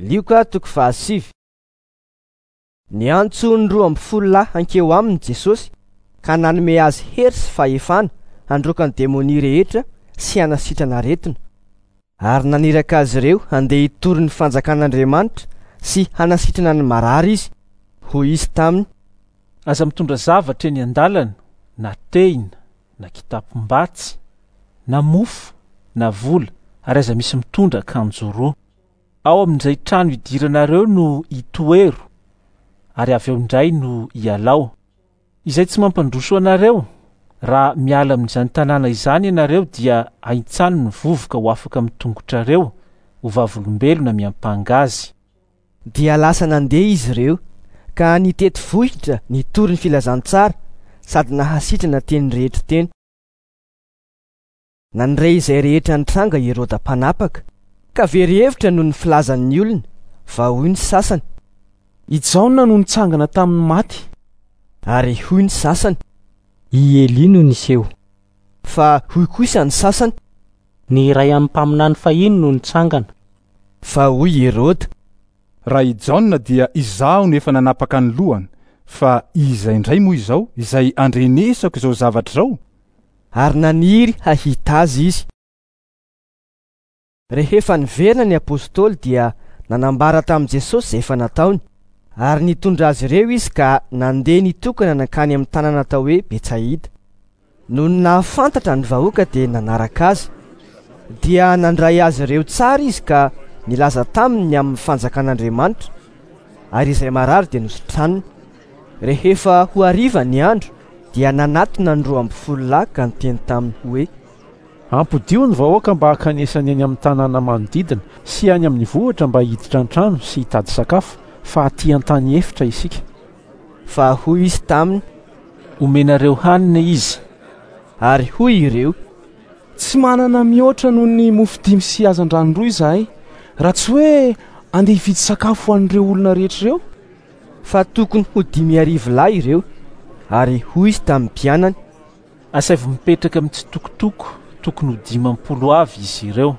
Lioka toko fahasivy. Niantso ny 12 lahy hankeo aminy Jesosy ka nanome azy hery sy fahefana handroaka ny demonia rehetra sy hanasitrana aretina. Ary naniraka azy ireo handeha hitory ny fanjakan'Andriamanitra sy hanasitrana ny marary izy. Hoy izy taminy: Aza mitondra zavatra eny an-dalana, na tehina, na kitapom-batsy, na mofo, na vola, ary aza misy mitondra akanjo roa. Ao amin'izay trano idiranareo no itoero, ary avy ao indray no ialao. Izay tsy mampandroso anareo, raha miala amin'izany tanàna izany ianareo dia ahintsano ny vovoka ho afaka amin'ny tongotrareo, ho vavolombelona miampanga azy. Dia lasa nandeha izy ireo, ka nitety vohitra nitory ny filazantsara sady nahasitrana teny rehetra teny. Nandre izay rehetra nitranga i Heroda mpanapaka, ka very hevitra noho ny filazan'ny olona, fa hoy ny sasany: I Jaona no nitsangana tamin'ny maty. Ary hoy ny sasany: I Elia no niseho. Fa hoy kosa ny sasany: Ny iray amin'ny mpaminany fahiny no nitsangana. Fa hoy Heroda: Raha i Jaona dia izaho no efa nanapaka ny lohany, fa iza indray moa izao izay andrenesako izao zavatra izao? Ary naniry hahita azy izy. Rehefa niverina ny apostoly dia nanambara tamin'i Jesosy izay efa nataony, ary nitondra azy ireo izy ka nandeha nitokana nankany amin'ny tanàna atao hoe Betsaida. Nony nahafantatra ny vahoaka dia nanaraka azy. Dia nandray azy ireo tsara izy ka nilaza taminy ny amin'ny fanjakan'Andriamanitra, ary izay marary dia nositraniny. Rehefa ho hariva ny andro dia nanatona ny 12 lahy ka niteny taminy hoe: Ampodio ny vahoaka mba hankanesany any amin'ny tanàna manodidina sy any amin'ny vohitra mba hiditra an-trano sy hitady sakafo, fa aty an-tany efitra isika. Fa hoy izy taminy: Omenareo hanina izy. Ary hoy ireo: Tsy manana mihoatra noho ny mofo 5 sy hazandrano 2 izahay, raha tsy hoe andeha hividy sakafo ho an'ireo olona rehetra ireo. Fa tokony ho 5000 lahy ireo. Ary hoy izy tamin'ny mpianany: Asaivo mipetraka mitsitokotoko, tokony ho 50 avy izy ireo.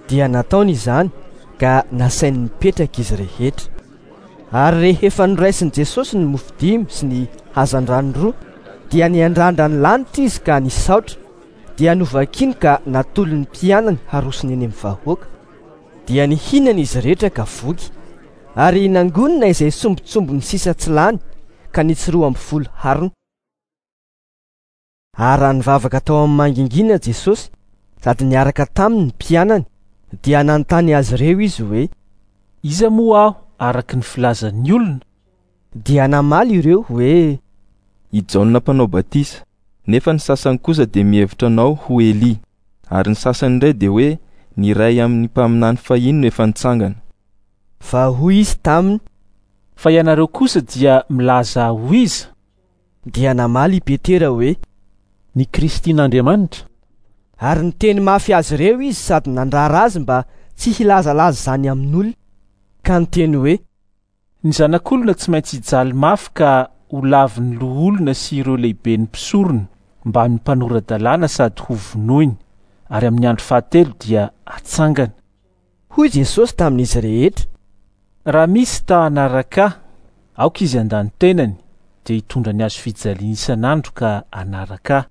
Dia nataony izany ka nasainy nipetraka izy rehetra. Ary rehefa noraisin'i Jesosy ny mofo 5 sy ny hazandrano 2, dia niandrandra ny lanitra izy ka nisaotra, dia novakiny ka natolony mpianany harosony eny amin'ny vahoaka. Dia nihinana izy rehetra ka voky, ary nangonina izay sombintsombiny sisa tsy lany ka nitsy 12 harona. Ary raha nivavaka tao amin'ny mangingina Jesosy sady niaraka taminy ny mpianany, dia nanontany azy ireo izy hoe: Iza moa aho araka ny filazan'ny olona? Dia namaly ireo hoe: I Jaona mpanao batisa, nefa ny sasany kosa dia mihevitra anao ho Elia, ary ny sasany indray dia hoe ny iray amin'ny mpaminany fahiny no efa nitsangana. Fa hoy izy taminy: Fa ianareo kosa dia milaza ho iza? Dia namaly i Petera hoe: Ny Kristin'Andriamanitra. Ary niteny mafy azy ireo izy sady nandrara azy mba tsy hilazalaza izany amin'olona, ka niteny hoe: Ny zanak'olona tsy maintsy hijaly mafy ka ho lavin'ny loholona sy ireo lehiben'ny mpisorona mbamin'ny mpanora-dalàna sady ho vonoiny, ary amin'ny andro fahatelo dia hatsangana. Hoy Jesosy tamin'izy rehetra: Raha misy ta hanaraka ahy, aoka izy handany tenany, dia hitondra ny hazo fijaliana isan'andro ka hanaraka ahy.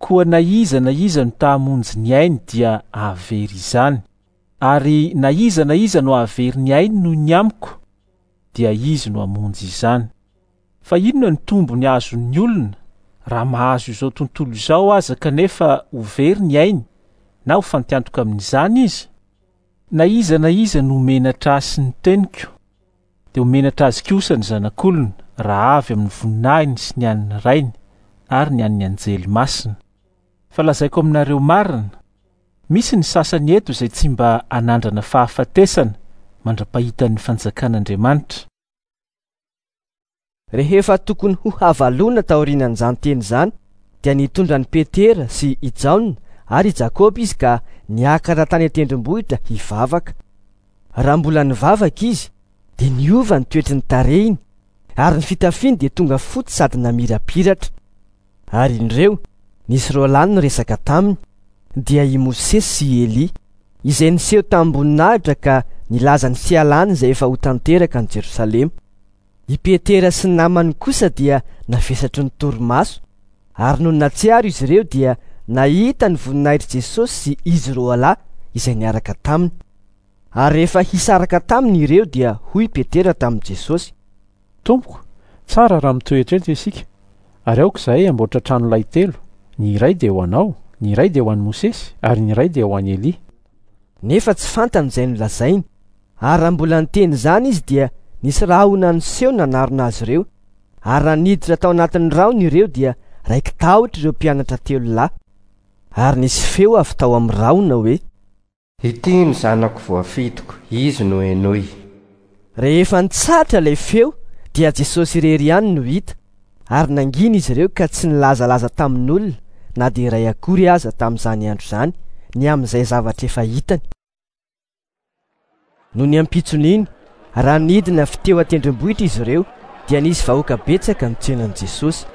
Koa na iza na iza no ta hamonjy ny ainy dia hahavery izany, ary na iza na iza no hahavery ny ainy noho ny amiko, dia izy no hamonjy izany. Fa inona no tombony azon'ny olona raha mahazo izao tontolo izao aza kanefa ho very ny ainy na ho fantiantoka amin'izany izy? Na iza na iza no menatra ahy sy ny teniko, dia ho menatra azy kosa ny zanak'olona raha avy amin'ny voninahiny sy ny an'ny Rainy ary ny an'ny anjely masina. Fa lazaiko aminareo marina, misy ny sasany eto izay tsy mba hanandrana fahafatesana mandra-pahitan'ny fanjakan'Andriamanitra. Rehefa tokony ho havalona taorian'izany teny izany, dia nitondra an'i Petera sy i Jaona ary i Jakoba izy ka niakatra tany an-tendrombohitra hivavaka. Raha mbola nivavaka izy, dia niova ny toetry ny tarehiny, ary ny fitafiany dia tonga fotsy sady namirapiratra. Ary indreo, nisy roa lahy niresaka taminy, dia i Mosesy sy i Elia, izay niseho tamim-boninahitra ka nilaza ny fialany izay efa ho tanteraka any Jerosalema. I Petera sy ny namany kosa dia navesatry ny torimaso, ary nony nahatsiaro izy ireo dia nahita ny voninahitr'i Jesosy sy izy roalahy izay niaraka taminy. Ary rehefa hisaraka taminy ireo dia hoy Petera tamin'i Jesosy: Tompoko, tsara raha mitoetra eto isika, ary aoka izahay hamboatra trano lay telo, ny iray dia ho anao, ny iray dia ho an'i Mosesy, ary ny iray dia ho an'i Elia. Nefa tsy fantany izay nolazainy. Ary raha mbola niteny izany izy dia nisy rahona niseho nanarona azy ireo, ary raha niditra tao anatin'ny rahona ireo dia raiki-tahotra ireo mpianatra telo lahy. Ary nisy feo avy tao amin'ny rahona hoe. Ity no Zanako voafidiko, Izy no henoy. Rehefa nitsahatra ilay feo dia Jesosy irery ihany no hita, ary nangina izy ireo ka tsy nilazalaza tamin'olona na dia iray akory aza tamin'izany andro izany ny amin'izay zavatra efa hitany. Nony ampitson'iny, raha nidina avy teo an-tendrombohitra izy ireo, dia nisy vahoaka betsaka nitsena an'i Jesosy.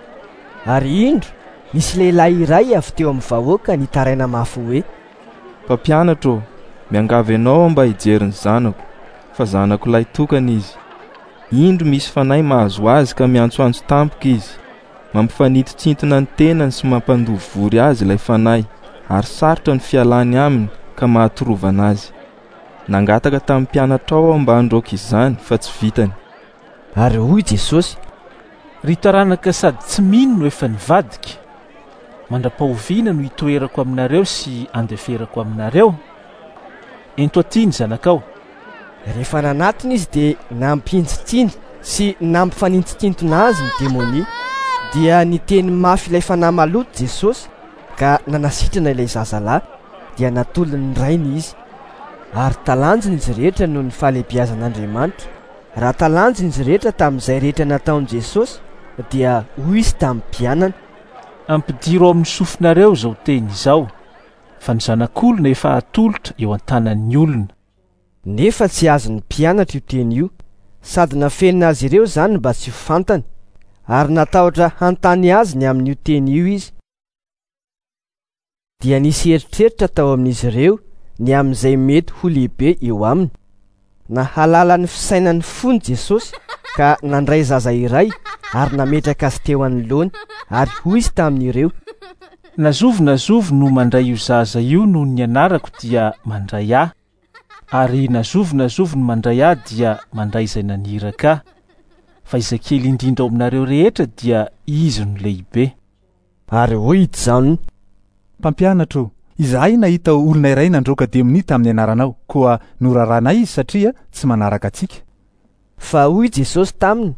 Ary indro, nisy lehilahy iray avy teo amin'ny vahoaka nitaraina mafy hoe. Mpampianatra ô, miangavy anao aho mba hijery ny zanako, fa zanako lahy tokana izy. Indro misy fanahy mahazo azy ka miantsoantso tampoka izy. Mampifanintontsintona ny tenany sy mampandoa vory azy ilay fanahy, ary sarotra ny fialany aminy ka mahatorovana azy. Nangataka tamin'ny mpianatrao aho mba handroaka izany, fa tsy vitany. Ary hoy Jesosy. Ry taranaka sady tsy mino no efa nivadika, mandra-pahoviana no hitoerako aminareo sy handeferako aminareo? Ento aty ny zanakao. Rehefa nanatona izy dia nampihintsintsiny sy nampifanintontsintona azy ny demonia. Dia niteny mafy ilay fanahy maloto Jesosy ka nanasitrana ilay zazalahy, dia natolony ny rainy izy. Ary talanjona izy rehetra noho ny fahalehibiazan'Andriamanitra. Raha talanjona izy rehetra tamin'izay rehetra nataon'i Jesosy, dia hoy izy tamin'ny mpianany. Ampidiro ao amin'ny sofinareo izao teny izao, fa ny Zanak'olona efa hatolotra eo an-tanan'ny olona. Nefa tsy azon'ny mpianatra io teny io, sady nafenina azy ireo izany mba tsy ho fantany, ary natahotra hanontany azy ny amin'io teny io izy. Dia nisy eritreritra tao amin'izy ireo ny amin'izay mety ho lehibe eo aminy. Nahalala ny fisainan'ny fony Jesosy ka nandray zaza iray ary nametraka azy teo anoloany, ary hoy Izy tamin'ireo. Na zovy na zovy no mandray io zaza io noho ny anarako dia mandray Ahy, ary na zovy na zovy no mandray Ahy dia mandray izay naniraka Ahy. Fa izay kely indrindra ao aminareo rehetra dia izy no lehibe. Ary hoy i Jaona. Mpampianatra ô, izahay nahita olona iray nandroaka demonia tamin'ny anaranao, koa noraranay izy satria tsy manaraka antsika. Fa hoy Jesosy taminy.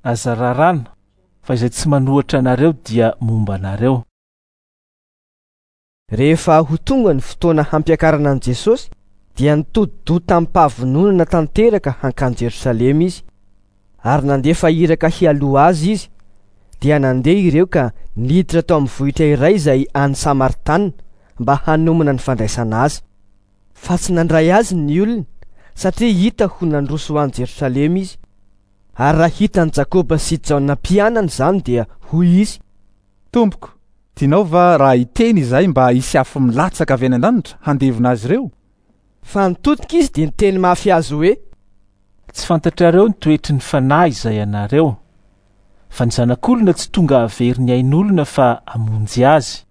Aza rarana, fa izay tsy manohitra anareo dia momba anareo. Rehefa ho tonga ny fotoana hampiakarana an'i Jesosy, dia nitodi-doha tamim-pahavononana tanteraka hankany Jerosalema izy. Ary nandefa iraka hialoha azy izy. Dia nandeha ireo ka niditra tao amin'ny vohitra iray izay any Samaritana mba hanomana ny fandraisana azy. Fa tsy nandray azy ny olona, satria hita ho nandroso ho any Jerosalema izy. Ary raha hitan'i Jakoba sy Jaona mpianany izany dia hoy izy. Tompoko, tianao va raha hiteny izahay mba hisy afo milatsaka avy any an-danitra handevona azy ireo? Fa nitodika izy dia niteny mafy azy hoe. Tsy fantatrareo ny toetry ny fanahy izay anareo, fa ny Zanak'olona tsy tonga hahavery ny ain'olona fa hamonjy azy.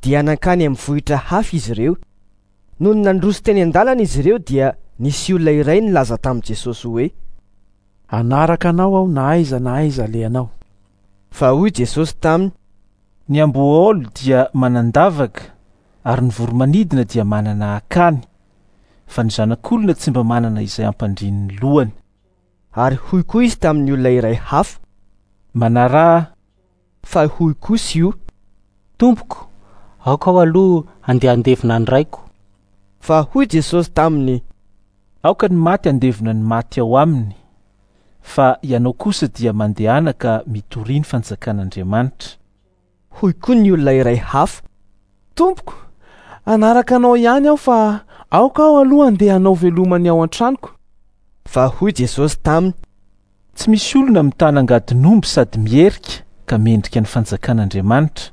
Dia nankany amin'ny vohitra hafa izy ireo. Nony nandroso teny an-dalana izy ireo dia nisy olona iray nilaza tamin'i Jesosy hoe. Hanaraka anao aho na aiza na aiza alehanao. Fa hoy Jesosy taminy. Ny amboahaolo dia manan-davaka, ary ny voro-manidina dia manana akany, fa ny Zanak'olona tsy mba manana izay hampandriany ny lohany. Ary hoy koa izy tamin'ny olona iray hafa. Manaraha. Fa hoy kosa io. Tompoko, aoka aho aloha handeha handevina ny raiko. Fa hoy Jesosy taminy. Aoka ny maty handevina ny maty ao aminy, fa ianao kosa dia mandehana ka mitoria ny fanjakan'Andriamanitra. Hoy koa ny olona iray hafa. Tompoko, hanaraka anao ihany aho fa aoka aho aloha handeha hanao veloma ny ao an-tranoko. Fa hoy Jesosy taminy. Tsy misy olona mitana angadin'omby sady miherika ka mendrika ny fanjakan'Andriamanitra.